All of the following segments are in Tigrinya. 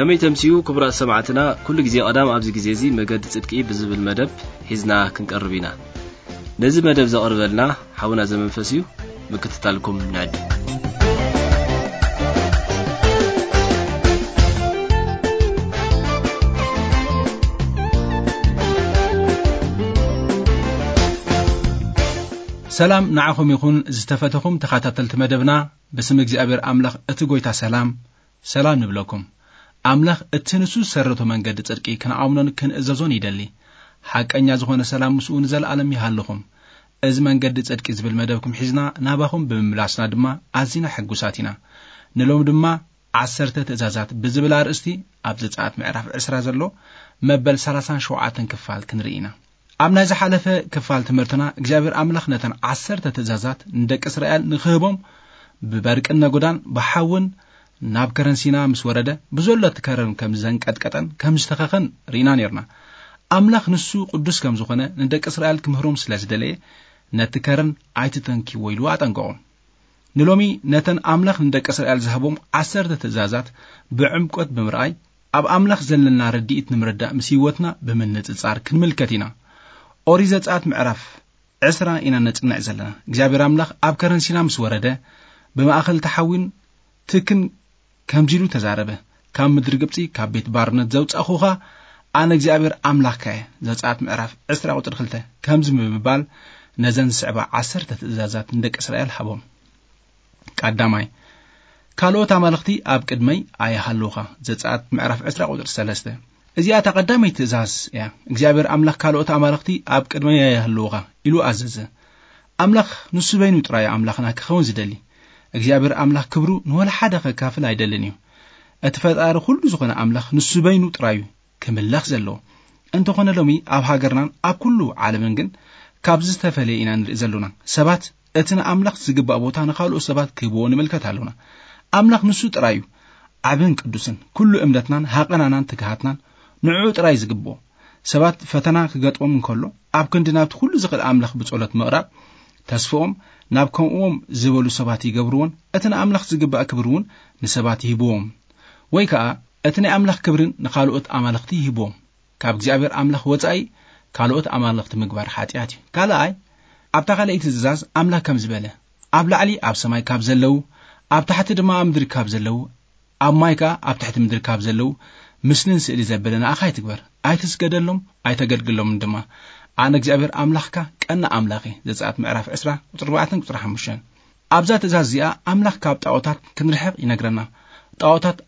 ከመይ ተምስዩ ክቡራት ሰማዕትና፣ ኩሉ ግዜ ቀዳም ኣብዚ ግዜ እዚ መገዲ ጽድቂ ብዝብል መደብ ሒዝና ክንቀርብ ኢና። ነዚ መደብ ዘቕርበልና ሓውና ዘመንፈስ እዩ። ምክትታልኩም ንዕድ። ሰላም ንዓኹም ይኹን ዝተፈተኹም ተኸታተልቲ መደብና። ብስም እግዚኣብሔር ኣምላኽ እቲ ጎይታ ሰላም፣ ሰላም ንብለኩም። ኣምላኽ እቲ ንሱ ዝሰረቶ መንገዲ ጽድቂ ክንኣምኖን ክንእዘዞን ይደሊ። ሓቀኛ ዝኾነ ሰላም ምስኡ ንዘለኣለም ይሃልኹም። እዚ መንገዲ ጽድቂ ዝብል መደብኩም ሒዝና ናባኹም ብምምላስና ድማ ኣዚና ሕጉሳት ኢና። ንሎም ድማ ዓሰርተ ትእዛዛት ብዝብል ኣርእስቲ ኣብ ዘጸኣት ምዕራፍ ዕስራ ዘሎ መበል ሰላሳን ሸውዓተን ክፋል ክንርኢ ኢና። ኣብ ናይ ዝሓለፈ ክፋል ትምህርትና እግዚኣብሔር ኣምላኽ ነተን ዓሰርተ ትእዛዛት ንደቂ እስራኤል ንክህቦም ብበርቅን ነጎዳን ብሓውን ናብ ከረን ሲና ምስ ወረደ ብዘሎ እቲ ከረን ከም ዘንቀጥቀጠን ከም ዝተኸኸን ርኢና ነርና። ኣምላኽ ንሱ ቅዱስ ከም ዝኾነ ንደቂ እስራኤል ክምህሮም ስለ ዝደለየ ነቲ ከረን ኣይትተንክይዎ ኢሉ ኣጠንቀቖም። ንሎሚ ነተን ኣምላኽ ንደቂ እስራኤል ዝሃቦም ዓሰርተ ትእዛዛት ብዕምቆት ብምርኣይ ኣብ ኣምላኽ ዘለና ርድኢት ንምርዳእ ምስ ህይወትና ብምንጽጻር ክንምልከት ኢና። ኦሪት ዘጸኣት ምዕራፍ ዕስራ ኢና ነጽንዕ ዘለና። እግዚኣብሔር ኣምላኽ ኣብ ከረን ሲና ምስ ወረደ ብማእኸል ተሓዊን ትክን ከምዚ ኢሉ ተዛረበ። ካብ ምድሪ ግብጺ ካብ ቤት ባርነት ዘውጻእኹኻ ኣነ እግዚኣብሔር ኣምላኽካ እየ። ዘጸኣት ምዕራፍ ዕስራ ቁጽሪ ክልተ ከምዚ ብምባል ነዘን ዝስዕባ ዓሰርተ ትእዛዛት ንደቂ እስራኤል ሃቦም። ቀዳማይ፣ ካልኦት ኣማልኽቲ ኣብ ቅድመይ ኣይሃልውኻ። ዘጸኣት ምዕራፍ ዕስራ ቁጽሪ ሰለስተ። እዚኣ እታ ቀዳመይቲ ትእዛዝ እያ። እግዚኣብሔር ኣምላኽ ካልኦት ኣማልኽቲ ኣብ ቅድመይ ኣይሃልውኻ ኢሉ ኣዘዘ። ኣምላኽ ንሱ በይኑ ጥራይ ኣምላኽና ክኸውን ዝደሊ። እግዚኣብሔር ኣምላኽ ክብሩ ንወላ ሓደ ከካፍል ኣይደልን እዩ። እቲ ፈጣሪ ኩሉ ዝኾነ ኣምላኽ ንሱ በይኑ ጥራይ እዩ ክምለኽ ዘለዎ። እንተኾነ ሎሚ ኣብ ሃገርናን ኣብ ኩሉ ዓለምን ግን ካብዚ ዝተፈለየ ኢና ንርኢ ዘሎና። ሰባት እቲ ንኣምላኽ ዝግባእ ቦታ ንኻልኦት ሰባት ክህብዎ ንምልከት ኣሎና። ኣምላኽ ንሱ ጥራይ እዩ ዓብን ቅዱስን። ኩሉ እምነትናን ሃቐናናን ትግሃትናን ንዕኡ ጥራይ ዝግብኦ። ሰባት ፈተና ክገጥሞም እንከሎ ኣብ ክንዲ ናብቲ ኩሉ ዝኽእል ኣምላኽ ብጸሎት ምቕራብ ተስፍኦም ናብ ከምኡዎም ዝበሉ ሰባት ይገብርዎን እቲ ንኣምላኽ ዝግባእ ክብሪ እውን ንሰባት ይህብዎም። ወይ ከኣ እቲ ናይ ኣምላኽ ክብርን ንኻልኦት ኣማልኽቲ ይህብዎም። ካብ እግዚኣብሔር ኣምላኽ ወጻኢ ካልኦት ኣማልኽቲ ምግባር ሓጢኣት እዩ። ካልኣይ፣ ኣብታ ካልኣይቲ ትእዛዝ ኣምላኽ ከም ዝበለ፣ ኣብ ላዕሊ ኣብ ሰማይ ካብ ዘለዉ፣ ኣብ ታሕቲ ድማ ኣብ ምድሪ ካብ ዘለዉ፣ ኣብ ማይ ከኣ ኣብ ትሕቲ ምድሪ ካብ ዘለዉ ምስልን ስእሊ ዘበለ ንኣኻ ኣይትግበር፣ ኣይትስገደሎም፣ ኣይተገልግሎምን ድማ። ኣነ እግዚኣብሔር ኣምላኽካ ቀና ኣምላኽ እየ። ዘጸኣት ምዕራፍ ዕስራ ቁጽሪ ኣርባዕተን ቁጽሪ ሓሙሽተን። ኣብዛ ትእዛዝ እዚኣ ኣምላኽ ካብ ጣዖታት ክንርሕቕ ይነግረና። ጣዖታት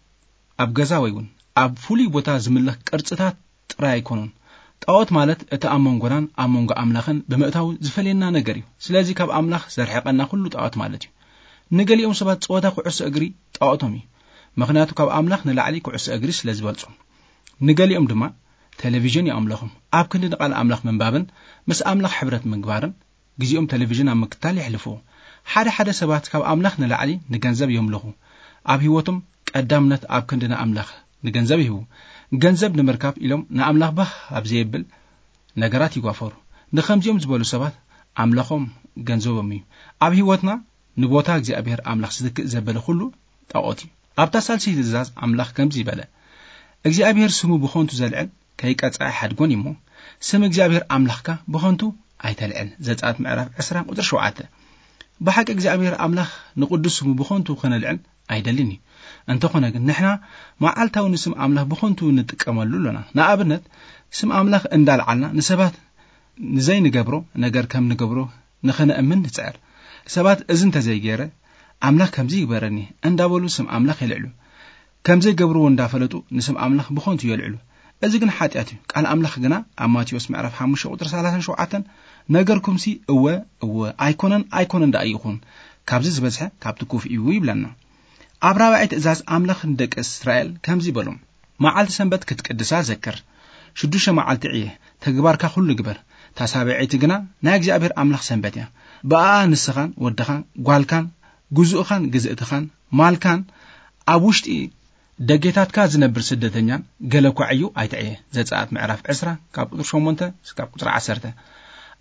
ኣብ ገዛ ወይ እውን ኣብ ፍሉይ ቦታ ዝምለኽ ቅርጽታት ጥራይ ኣይኮኑን። ጣዖት ማለት እቲ ኣብ መንጎናን ኣብ መንጎ ኣምላኽን ብምእታው ዝፈልየና ነገር እዩ። ስለዚ ካብ ኣምላኽ ዘርሕቐና ኩሉ ጣዖት ማለት እዩ። ንገሊኦም ሰባት ጸወታ ኩዕሶ እግሪ ጣዖቶም እዩ። ምኽንያቱ ካብ ኣምላኽ ንላዕሊ ኩዕሶ እግሪ ስለ ዝበልጾም። ንገሊኦም ድማ ቴሌቪዥን እዩ ኣምላኾም። ኣብ ክንዲ ንቃል ኣምላኽ ምንባብን ምስ ኣምላኽ ሕብረት ምግባርን ግዜኦም ቴሌቪዥን ኣብ ምክታል የሕልፍዎ። ሓደ ሓደ ሰባት ካብ ኣምላኽ ንላዕሊ ንገንዘብ የምልኹ። ኣብ ህይወቶም ቀዳምነት ኣብ ክንዲ ንኣምላኽ ንገንዘብ ይህቡ። ገንዘብ ንምርካብ ኢሎም ንኣምላኽ ባህ ኣብ ዘየብል ነገራት ይጓፈሩ። ንኸምዚኦም ዝበሉ ሰባት ኣምላኾም ገንዘቦም እዩ። ኣብ ህይወትና ንቦታ እግዚኣብሔር ኣምላኽ ዝትክእ ዘበለ ኩሉ ጣዖት እዩ። ኣብታ ሳልሰይቲ ትእዛዝ ኣምላኽ ከምዚ ይበለ፣ እግዚኣብሔር ስሙ ብኾንቱ ዘልዕል ከይቀጽዐ ሓድጎን እሞ፣ ስም እግዚኣብሔር ኣምላኽካ ብኾንቱ ኣይተልዕል። ዘጸኣት ምዕራፍ ዕስራ ቁጽሪ ሸውዓተ። ብሓቂ እግዚኣብሔር ኣምላኽ ንቕዱስ ስሙ ብኾንቱ ከነልዕል ኣይደልን እዩ። እንተኾነ ግን ንሕና መዓልታዊ ንስም ኣምላኽ ብኾንቱ ንጥቀመሉ ኣሎና። ንኣብነት ስም ኣምላኽ እንዳልዓልና ንሰባት ንዘይንገብሮ ነገር ከም ንገብሮ ንኸነእምን ንጽዕር። ሰባት እዚ እንተዘይገይረ ኣምላኽ ከምዚ ይግበረኒ እንዳበሉ ስም ኣምላኽ የልዕሉ። ከም ዘይገብርዎ እንዳፈለጡ ንስም ኣምላኽ ብኾንቱ የልዕሉ። እዚ ግን ሓጢኣት እዩ። ቃል ኣምላኽ ግና ኣብ ማቴዎስ ምዕራፍ ሓሙሽተ ቁጽሪ ሰላሳን ሸውዓተን፣ ነገርኩምሲ እወ እወ፣ ኣይኮነን ኣይኮነን ደኣ ይኹን፣ ካብዚ ዝበዝሐ ካብቲ ክፉእ እዩ ይብለና። ኣብ ራብዓይ ትእዛዝ ኣምላኽ ንደቂ እስራኤል ከምዚ በሎም፣ መዓልቲ ሰንበት ክትቅድሳ ዘክር። ሽዱሽተ መዓልቲ ዕየ፣ ተግባርካ ኩሉ ግበር። እታ ሳብዐይቲ ግና ናይ እግዚኣብሔር ኣምላኽ ሰንበት እያ። ብኣኣ ንስኻን ወድኻን ጓልካን ግዙእኻን ግዝእትኻን ማልካን ኣብ ውሽጢ ደጌታትካ ዝነብር ስደተኛን ገለ እኳ ዕዩ ኣይትዕየ። ዘጸኣት ምዕራፍ ዕስራ ካብ ቁጽሪ ሸሞንተ እስካብ ቁጽሪ ዓሰርተ።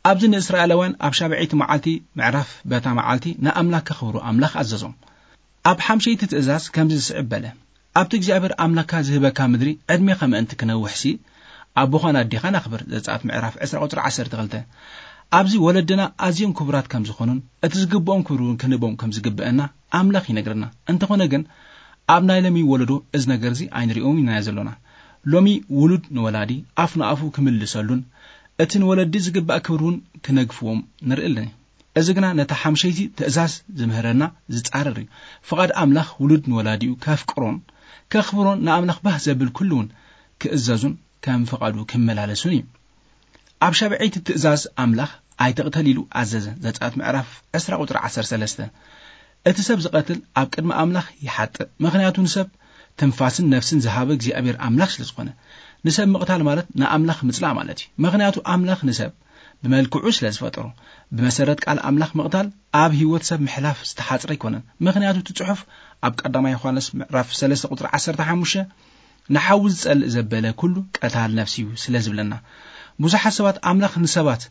ኣብዚ ንእስራኤላውያን ኣብ ሻብዐይቲ መዓልቲ ምዕራፍ በታ መዓልቲ ንኣምላኽ ከኽብሩ ኣምላኽ ኣዘዞም። ኣብ ሓምሸይቲ ትእዛዝ ከምዚ ዝስዕብ በለ፣ ኣብቲ እግዚኣብሔር ኣምላካ ዝህበካ ምድሪ ዕድሜኻ ምእንቲ ክነውሕሲ ኣቦኻን ኣዴኻን ኣኽብር። ዘጸኣት ምዕራፍ ዕስራ ቁጽሪ ዓሰርተ ክልተ። ኣብዚ ወለድና ኣዝዮም ክቡራት ከም ዝኾኑን እቲ ዝግብኦም ክብሪ እውን ክንህቦም ከም ዝግብአና ኣምላኽ ይነግረና። እንተኾነ ግን ኣብ ናይ ሎሚ ወለዶ እዚ ነገር እዚ ኣይንሪኦም ኢና ዘሎና። ሎሚ ውሉድ ንወላዲ ኣፍ ንኣፉ ክምልሰሉን እቲ ንወለዲ ዝግባእ ክብሪ እውን ክነግፍዎም ንርኢ ኣለና። እዚ ግና ነታ ሓምሸይቲ ትእዛዝ ዝምህረና ዝጻረር እዩ። ፍቓድ ኣምላኽ ውሉድ ንወላዲኡ ከፍቅሮን ከኽብሮን ንኣምላኽ ባህ ዘብል ኩሉ እውን ክእዘዙን ከም ፍቓዱ ክመላለሱን እዩ። ኣብ ሻብዐይቲ ትእዛዝ ኣምላኽ ኣይትቕተል ኢሉ ኣዘዘ። ዘጸኣት ምዕራፍ ዕስራ ቁጽሪ ዓሰርተ ሰለስተ። እቲ ሰብ ዝቐትል ኣብ ቅድሚ ኣምላኽ ይሓጥእ፣ ምኽንያቱ ንሰብ ትንፋስን ነፍስን ዝሃበ እግዚኣብሔር ኣምላኽ ስለ ዝኾነ። ንሰብ ምቕታል ማለት ንኣምላኽ ምጽላእ ማለት እዩ። ምኽንያቱ ኣምላኽ ንሰብ ብመልክዑ ስለ ዝፈጠሮ። ብመሰረት ቃል ኣምላኽ ምቕታል ኣብ ህይወት ሰብ ምሕላፍ ዝተሓጽረ ኣይኮነን። ምኽንያቱ እቲ ጽሑፍ ኣብ ቀዳማይ ዮሃንስ ምዕራፍ ሰለስተ ቁጽሪ ዓሰርተ ሓሙሽተ ንሓዊ ዝጸልእ ዘበለ ኩሉ ቀታል ነፍሲ እዩ ስለ ዝብለና። ብዙሓት ሰባት ኣምላኽ ንሰባት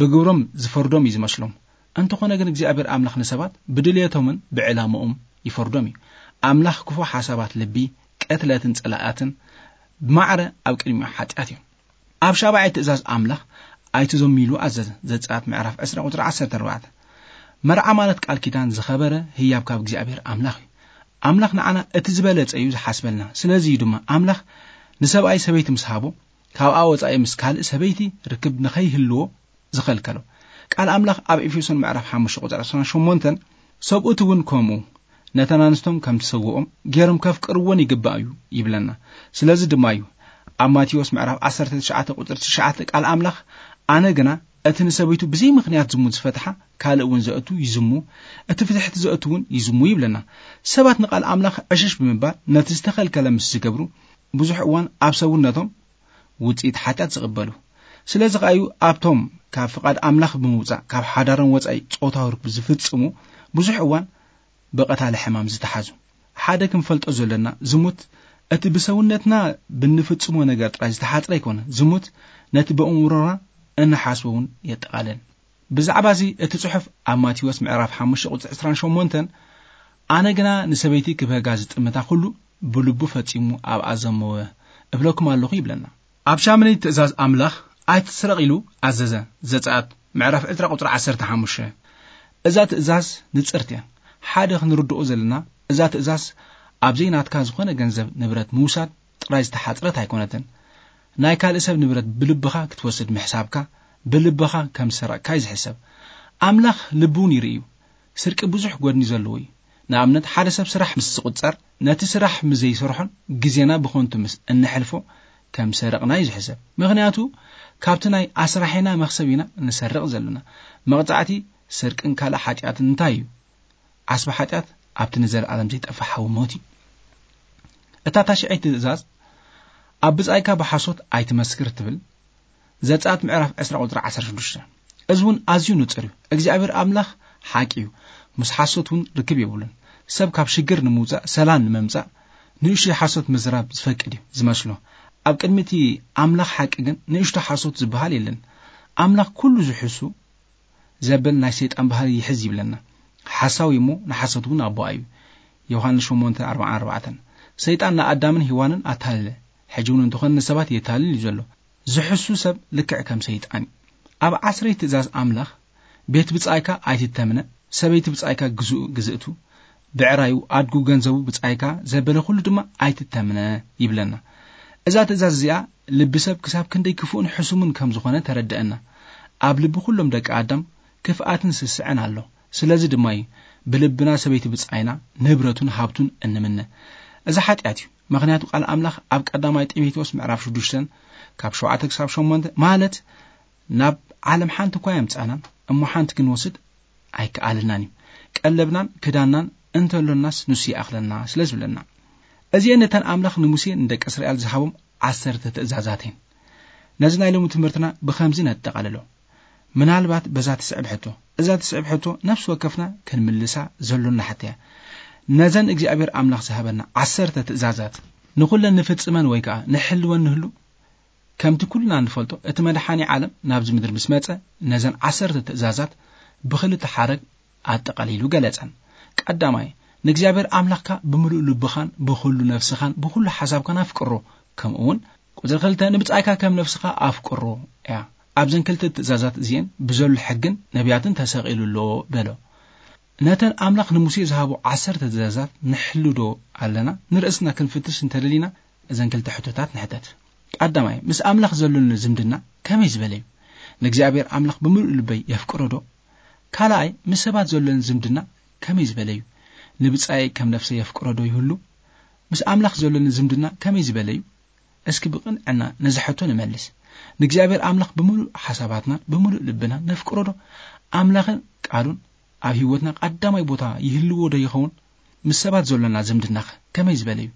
ብግብሮም ዝፈርዶም እዩ ዝመስሎም። እንተኾነ ግን እግዚኣብሔር ኣምላኽ ንሰባት ብድልየቶምን ብዕላምኦም ይፈርዶም እዩ። ኣምላኽ ክፉ ሓሳባት ልቢ፣ ቅትለትን ጸላእትን ብማዕረ ኣብ ቅድሚኡ ሓጢኣት እዮም። ኣብ ሻብዓይ ትእዛዝ ኣምላኽ ኣይትዘሙ ኢሉ ኣዘዘ። ዘጸኣት ምዕራፍ ዕስራ ቁጽሪ ዓሰርተ ኣርባዕተ። መርዓ ማለት ቃል ኪዳን ዝኸበረ ህያብ ካብ እግዚኣብሔር ኣምላኽ እዩ። ኣምላኽ ንዓና እቲ ዝበለጸ እዩ ዝሓስበልና። ስለዚ እዩ ድማ ኣምላኽ ንሰብኣይ ሰበይቲ ምስ ሃቦ፣ ካብኣ ወጻኢ ምስ ካልእ ሰበይቲ ርክብ ንኸይህልዎ ዝኸልከሎ። ቃል ኣምላኽ ኣብ ኤፌሶን ምዕራፍ ሓሙሽተ ቁጽሪ ዕስራን ሸሞንተን፣ ሰብኡት እውን ከምኡ ነተን ኣንስቶም ከም ትሰውኦም ገይሮም ከፍቅርወን ይግባእ እዩ ይብለና። ስለዚ ድማ እዩ ኣብ ማቴዎስ ምዕራፍ ዓሰርተ ትሽዓተ ቁጽሪ ትሽዓተ ቃል ኣምላኽ፣ ኣነ ግና እቲ ንሰበይቱ ብዘይ ምኽንያት ዝሙት ዝፈትሓ ካልእ እውን ዘእቱ ይዝሙ፣ እቲ ፍትሕቲ ዘእቱ እውን ይዝሙ ይብለና። ሰባት ንቃል ኣምላኽ ዕሽሽ ብምባል ነቲ ዝተኸልከለ ምስ ዝገብሩ ብዙሕ እዋን ኣብ ሰውነቶም ውጽኢት ሓጢኣት ዝቕበሉ። ስለዚ ከኣ እዩ ኣብቶም ካብ ፍቓድ ኣምላኽ ብምውጻእ ካብ ሓዳሮም ወጻኢ ጾታዊ ርክብ ዝፍጽሙ ብዙሕ እዋን ብቐታሊ ሕማም ዝተሓዙ። ሓደ ክንፈልጦ ዘሎና ዝሙት እቲ ብሰውነትና ብንፍጽሞ ነገር ጥራይ ዝተሓጽረ ኣይኮነን። ዝሙት ነቲ ብእምሮና እንሓስቦ እውን የጠቓልል። ብዛዕባ እዚ እቲ ጽሑፍ ኣብ ማቴዎስ ምዕራፍ ሓሙሽተ ቁጽሪ ዕስራን ሸሞንተን፣ ኣነ ግና ንሰበይቲ ክብህጋ ዝጥምታ ኩሉ ብልቡ ፈጺሙ ኣብኣ ዘመወ እብለኩም ኣለኹ ይብለና። ኣብ ሻምነይ ትእዛዝ ኣምላኽ ኣይትስረቕ ኢሉ ኣዘዘ። ዘጸኣት ምዕራፍ ዕስራ ቁጽሪ ዓሰርተ ሓሙሽተ። እዛ ትእዛዝ ንጽርቲ እያ። ሓደ ክንርድኦ ዘለና እዛ ትእዛዝ ኣብ ዘይናትካ ዝኾነ ገንዘብ ንብረት ምውሳድ ጥራይ ዝተሓጽረት ኣይኮነትን። ናይ ካልእ ሰብ ንብረት ብልብኻ ክትወስድ ምሕሳብካ ብልብኻ ከም ዝሰረቕካ እዩ ዝሕሰብ። ኣምላኽ ልቢ እውን ይርኢ እዩ። ስርቂ ብዙሕ ጎድኒ ዘለዎ እዩ። ንኣብነት ሓደ ሰብ ስራሕ ምስ ዝቁጸር ነቲ ስራሕ ምስ ዘይሰርሖን ግዜና ብኸንቱ ምስ እንሕልፎ ከም ሰረቕና እዩ ዝሕሰብ። ምኽንያቱ ካብቲ ናይ ኣስራሒና መኽሰብ ኢና ንሰርቕ ዘለና። መቕጻዕቲ ስርቅን ካልእ ሓጢኣትን እንታይ እዩ? ዓስቢ ሓጢኣት ኣብቲ ንዘለኣለም ዘይጠፍእ ሓዊ ሞት እዩ። እታ ታሽዐይቲ ትእዛዝ ኣብ ብጻይካ ብሓሶት ኣይትመስክር ትብል። ዘጸኣት ምዕራፍ ዕስራ ቁጽሪ ዓሰርተ ሽዱሽተ። እዚ እውን ኣዝዩ ንጹር እዩ። እግዚኣብሔር ኣምላኽ ሓቂ እዩ። ምስ ሓሶት እውን ርክብ የብሉን። ሰብ ካብ ሽግር ንምውጻእ ሰላም ንምምጻእ ንእሽቶ ሓሶት ምዝራብ ዝፈቅድ እዩ ዝመስሎ። ኣብ ቅድሚ እቲ ኣምላኽ ሓቂ ግን ንእሽቶ ሓሶት ዝበሃል የለን። ኣምላኽ ኩሉ ዝሕሱ ዘብል ናይ ሰይጣን ባህሪ ይሕዝ ይብለና። ሓሳዊ እሞ ንሓሶት እውን ኣቦኣ እዩ። ዮሃንስ ሸሞንተ ኣርባዓን ኣርባዕተን። ሰይጣን ንኣዳምን ሄዋንን ኣታለለ። ሕጂ እውን እንተኾነ ንሰባት የታልል እዩ ዘሎ። ዝሕሱ ሰብ ልክዕ ከም ሰይጣን እዩ። ኣብ ዓስረይ ትእዛዝ ኣምላኽ ቤት ብጻይካ ኣይትተምነ፣ ሰበይቲ ብጻይካ ግዝኡ ግዝእቱ፣ ብዕራዩ ኣድጉ ገንዘቡ ብጻይካ ዘበለ ኩሉ ድማ ኣይትተምነ ይብለና። እዛ ትእዛዝ እዚኣ ልቢ ሰብ ክሳብ ክንደይ ክፉእን ሕሱምን ከም ዝኾነ ተረድአና። ኣብ ልቢ ኩሎም ደቂ ኣዳም ክፍኣትን ስስዐን ኣሎ። ስለዚ ድማ እዩ ብልብና ሰበይቲ ብጻይና ንብረቱን ሃብቱን እንምነ። እዚ ሓጢኣት እዩ። ምኽንያቱ ቃል ኣምላኽ ኣብ ቀዳማይ ጢሞቴዎስ ምዕራፍ ሽዱሽተ ካብ ሸውዓተ ክሳብ ሸሞንተ ማለት ናብ ዓለም ሓንቲ እኳ የምጻናን እሞ ሓንቲ ክንወስድ ኣይከኣልናን እዩ። ቀለብናን ክዳናን እንተሎናስ ንሱ ይኣኽለና ስለ ዝብለና። እዚኤን ነተን ኣምላኽ ንሙሴ ንደቂ እስራኤል ዝሃቦም ዓሰርተ ትእዛዛት እየን። ነዚ ናይ ሎሚ ትምህርትና ብኸምዚ ነጠቓልሎ። ምናልባት በዛ ትስዕብ ሕቶ፣ እዛ ትስዕብ ሕቶ ነፍሲ ወከፍና ክንምልሳ ዘሎና ሕቶ እያ። ነዘን እግዚኣብሔር ኣምላኽ ዝሃበና ዓሰርተ ትእዛዛት ንኹለን ንፍጽመን ወይ ከኣ ንሕልወን ንህሉ፣ ከምቲ ኩልና እንፈልጦ እቲ መድሓኒ ዓለም ናብዚ ምድሪ ምስ መጸ ነዘን ዓሰርተ ትእዛዛት ብኽልተ ሓረግ ኣጠቓሊሉ ገለጸን። ቀዳማይ፣ ንእግዚኣብሔር ኣምላኽካ ብምሉእ ልብኻን ብኹሉ ነፍስኻን ብኹሉ ሓሳብካን ኣፍቅሮ። ከምኡ እውን ቁጽሪ ክልተ፣ ንብጻይካ ከም ነፍስኻ ኣፍቅሮ እያ። ኣብዘን ክልተ ትእዛዛት እዚኤን ብዘሎ ሕግን ነቢያትን ተሰቒሉ ኣሎ በሎ። ነተን ኣምላኽ ንሙሴ ዝሃቦ ዓሰርተ ትእዛዛት ንሕሉ ዶ ኣለና? ንርእስና ክንፍትሽ እንተደሊና እዘን ክልተ ሕቶታት ንሕተት። ቀዳማይ፣ ምስ ኣምላኽ ዘሎኒ ዝምድና ከመይ ዝበለ እዩ? ንእግዚኣብሔር ኣምላኽ ብምሉእ ልበይ የፍቅሮ ዶ? ካልኣይ፣ ምስ ሰባት ዘሎኒ ዝምድና ከመይ ዝበለ እዩ? ንብጻይ ከም ነፍሰይ የፍቅሮ ዶ ይህሉ? ምስ ኣምላኽ ዘሎኒ ዝምድና ከመይ ዝበለ እዩ? እስኪ ብቕንዕና ነዚ ሕቶ ንመልስ። ንእግዚኣብሔር ኣምላኽ ብምሉእ ሓሳባትናን ብምሉእ ልብና ነፍቅሮ ዶ? ኣምላኽን ቃሉን ኣብ ህይወትና ቀዳማይ ቦታ ይህልዎ ዶ ይኸውን? ምስ ሰባት ዘሎና ዝምድናኸ ከመይ ዝበለ እዩ?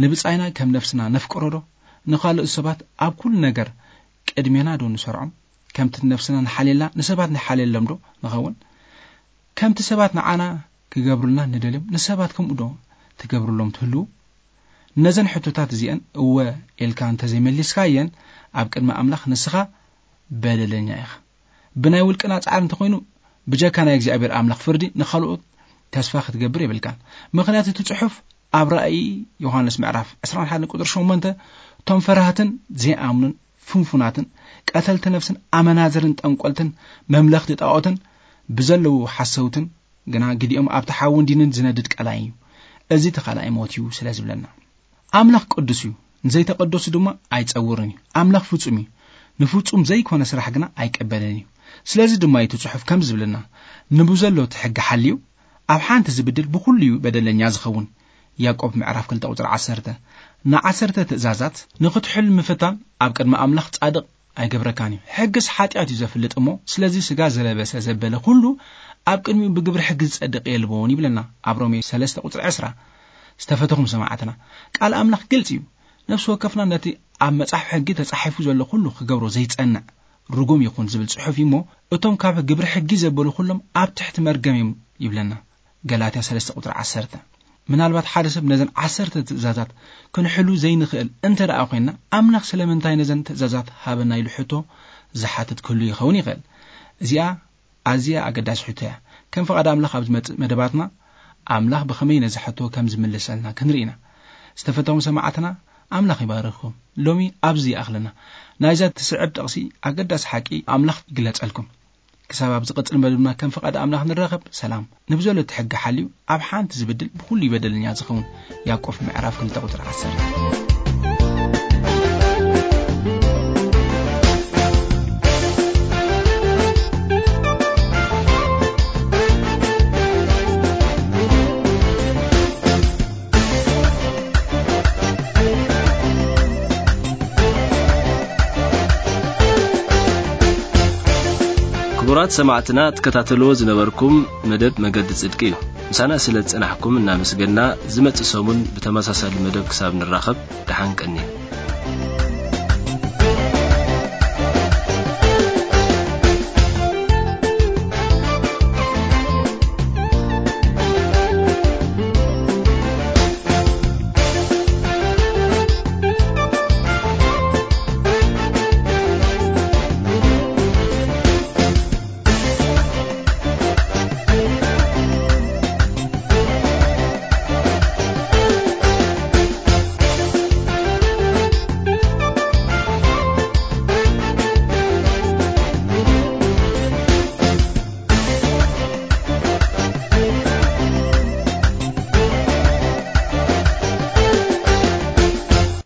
ንብጻይና ከም ነፍስና ነፍቅሮ ዶ? ንኻልኦት ሰባት ኣብ ኩሉ ነገር ቅድሜና ዶ ንሰርዖም? ከምቲ ነፍስና ንሓልየላ ንሰባት ንሓልየሎም ዶ ንኸውን? ከምቲ ሰባት ንዓና ክገብሩልና ንደልዮም ንሰባት ከምኡ ዶ ትገብሩሎም ትህልዉ? ነዘን ሕቶታት እዚአን እወ ኢልካ እንተዘይመሊስካየን፣ ኣብ ቅድሚ ኣምላኽ ንስኻ በደለኛ ኢኻ። ብናይ ውልቅና ጻዕሪ እንተኾይኑ፣ ብጀካ ናይ እግዚኣብሔር ኣምላኽ ፍርዲ ንኻልኦት ተስፋ ክትገብር የብልካን። ምኽንያቱ እቲ ጽሑፍ ኣብ ራእይ ዮሃንስ ምዕራፍ ዕስራን ሓደን ቁጽሪ ሸሞንተ፣ እቶም ፈራህትን ዘይኣምኑን ፍንፉናትን ቀተልቲ ነፍስን ኣመናዝርን ጠንቆልትን መምለኽቲ ጣዖትን ብዘለዉ ሓሰውትን ግና ግዲኦም ኣብቲ ሓውን ዲንን ዝነድድ ቀላይ እዩ። እዚ እቲ ካልኣይ ሞት እዩ ስለ ዝብለና። ኣምላኽ ቅዱስ እዩ፣ ንዘይተቐደሱ ድማ ኣይጸውርን እዩ። ኣምላኽ ፍጹም እዩ፣ ንፍጹም ዘይኮነ ስራሕ ግና ኣይቀበልን እዩ። ስለዚ ድማ እዩ እቲ ጽሑፍ ከም ዝብለና፣ ንብዘሎ እቲ ሕጊ ሓልዩ ኣብ ሓንቲ ዝብድል ብኹሉ እዩ በደለኛ ዝኸውን። ያዕቆብ ምዕራፍ ክልተ ቁጽሪ ዓሰርተ። ንዓሰርተ ትእዛዛት ንኽትሕል ምፍታን ኣብ ቅድሚ ኣምላኽ ጻድቕ ኣይገብረካን እዩ። ሕግስ ሓጢኣት እዩ ዘፍልጥ እሞ፣ ስለዚ ስጋ ዝለበሰ ዘበለ ኩሉ ኣብ ቅድሚኡ ብግብሪ ሕጊ ዝጸድቕ የልቦን ይብለና ኣብ ሮሜ ሰለስተ ቁጽሪ ዕስራ። ዝተፈተኹም ሰማዕትና፣ ቃል ኣምላኽ ግልጽ እዩ። ነፍሲ ወከፍና ነቲ ኣብ መጽሓፍ ሕጊ ተጻሒፉ ዘሎ ኩሉ ክገብሮ ዘይጸንዕ ርጉም ይኹን ዝብል ጽሑፍ እዩ እሞ፣ እቶም ካብ ግብሪ ሕጊ ዘበሉ ኩሎም ኣብ ትሕቲ መርገም እዮም ይብለና። ገላትያ ሰለስተ ቁጽሪ ዓሰርተ። ምናልባት ሓደ ሰብ ነዘን ዓሰርተ ትእዛዛት ክንሕሉ ዘይንኽእል እንተ ደኣ ኮይንና፣ ኣምላኽ ስለምንታይ ነዘን ትእዛዛት ሃበና ኢሉ ሕቶ ዝሓትት ክህሉ ይኸውን ይኽእል። እዚኣ ኣዝያ ኣገዳሲ ሕቶ እያ። ከም ፍቓድ ኣምላኽ ኣብ ዝመጽእ መደባትና፣ ኣምላኽ ብኸመይ ነዚ ሕቶ ከም ዝምልሰልና ክንርኢ ኢና። ዝተፈተኹም ሰማዕትና፣ ኣምላኽ ይባርኽኩም። ሎሚ ኣብዚ ይኣኽለና። ናይዛ ትስዕብ ጥቕሲ ኣገዳሲ ሓቂ ኣምላኽ ይግለጸልኩም። ክሳብ ኣብ ዝቕጽል መደብና ከም ፍቓድ ኣምላኽ ንራኸብ። ሰላም። ንብዘሎ እቲ ሕጊ ሓልዩ ኣብ ሓንቲ ዝብድል ብኹሉ ይበደለኛ ዝኸውን። ያዕቆብ ምዕራፍ ክልተ ቁጽሪ ዓሰርተ። ክቡራት ሰማዕትና፣ ትከታተልዎ ዝነበርኩም መደብ መገዲ ጽድቂ እዩ። ምሳና ስለ ዝጸናሕኩም እናመስገንና፣ ዝመጽእ ሰሙን ብተመሳሳሊ መደብ ክሳብ ንራኸብ፣ ደሓን ቀንዩ።